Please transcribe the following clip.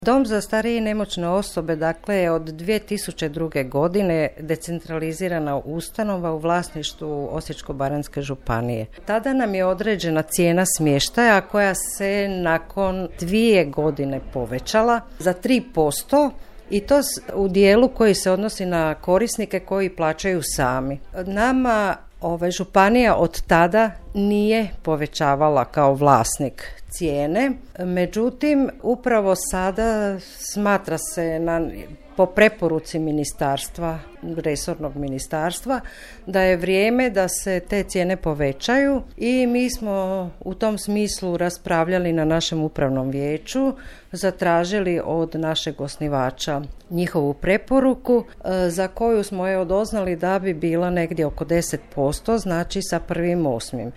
Dom za starije i nemoćne osobe, dakle, je od 2002. godine decentralizirana ustanova u vlasništvu Osječko-baranjske županije. Tada nam je određena cijena smještaja koja se nakon 2 godine povećala za 3%. I to u dijelu koji se odnosi na korisnike koji plaćaju sami. Nama županija od tada nije povećavala kao vlasnik cijene, međutim upravo sada smatra se po preporuci ministarstva, resornog ministarstva, da je vrijeme da se te cijene povećaju i mi smo u tom smislu raspravljali na našem upravnom vijeću, zatražili od našeg osnivača njihovu preporuku za koju smo doznali da bi bila negdje oko 10%, znači sa 1.8.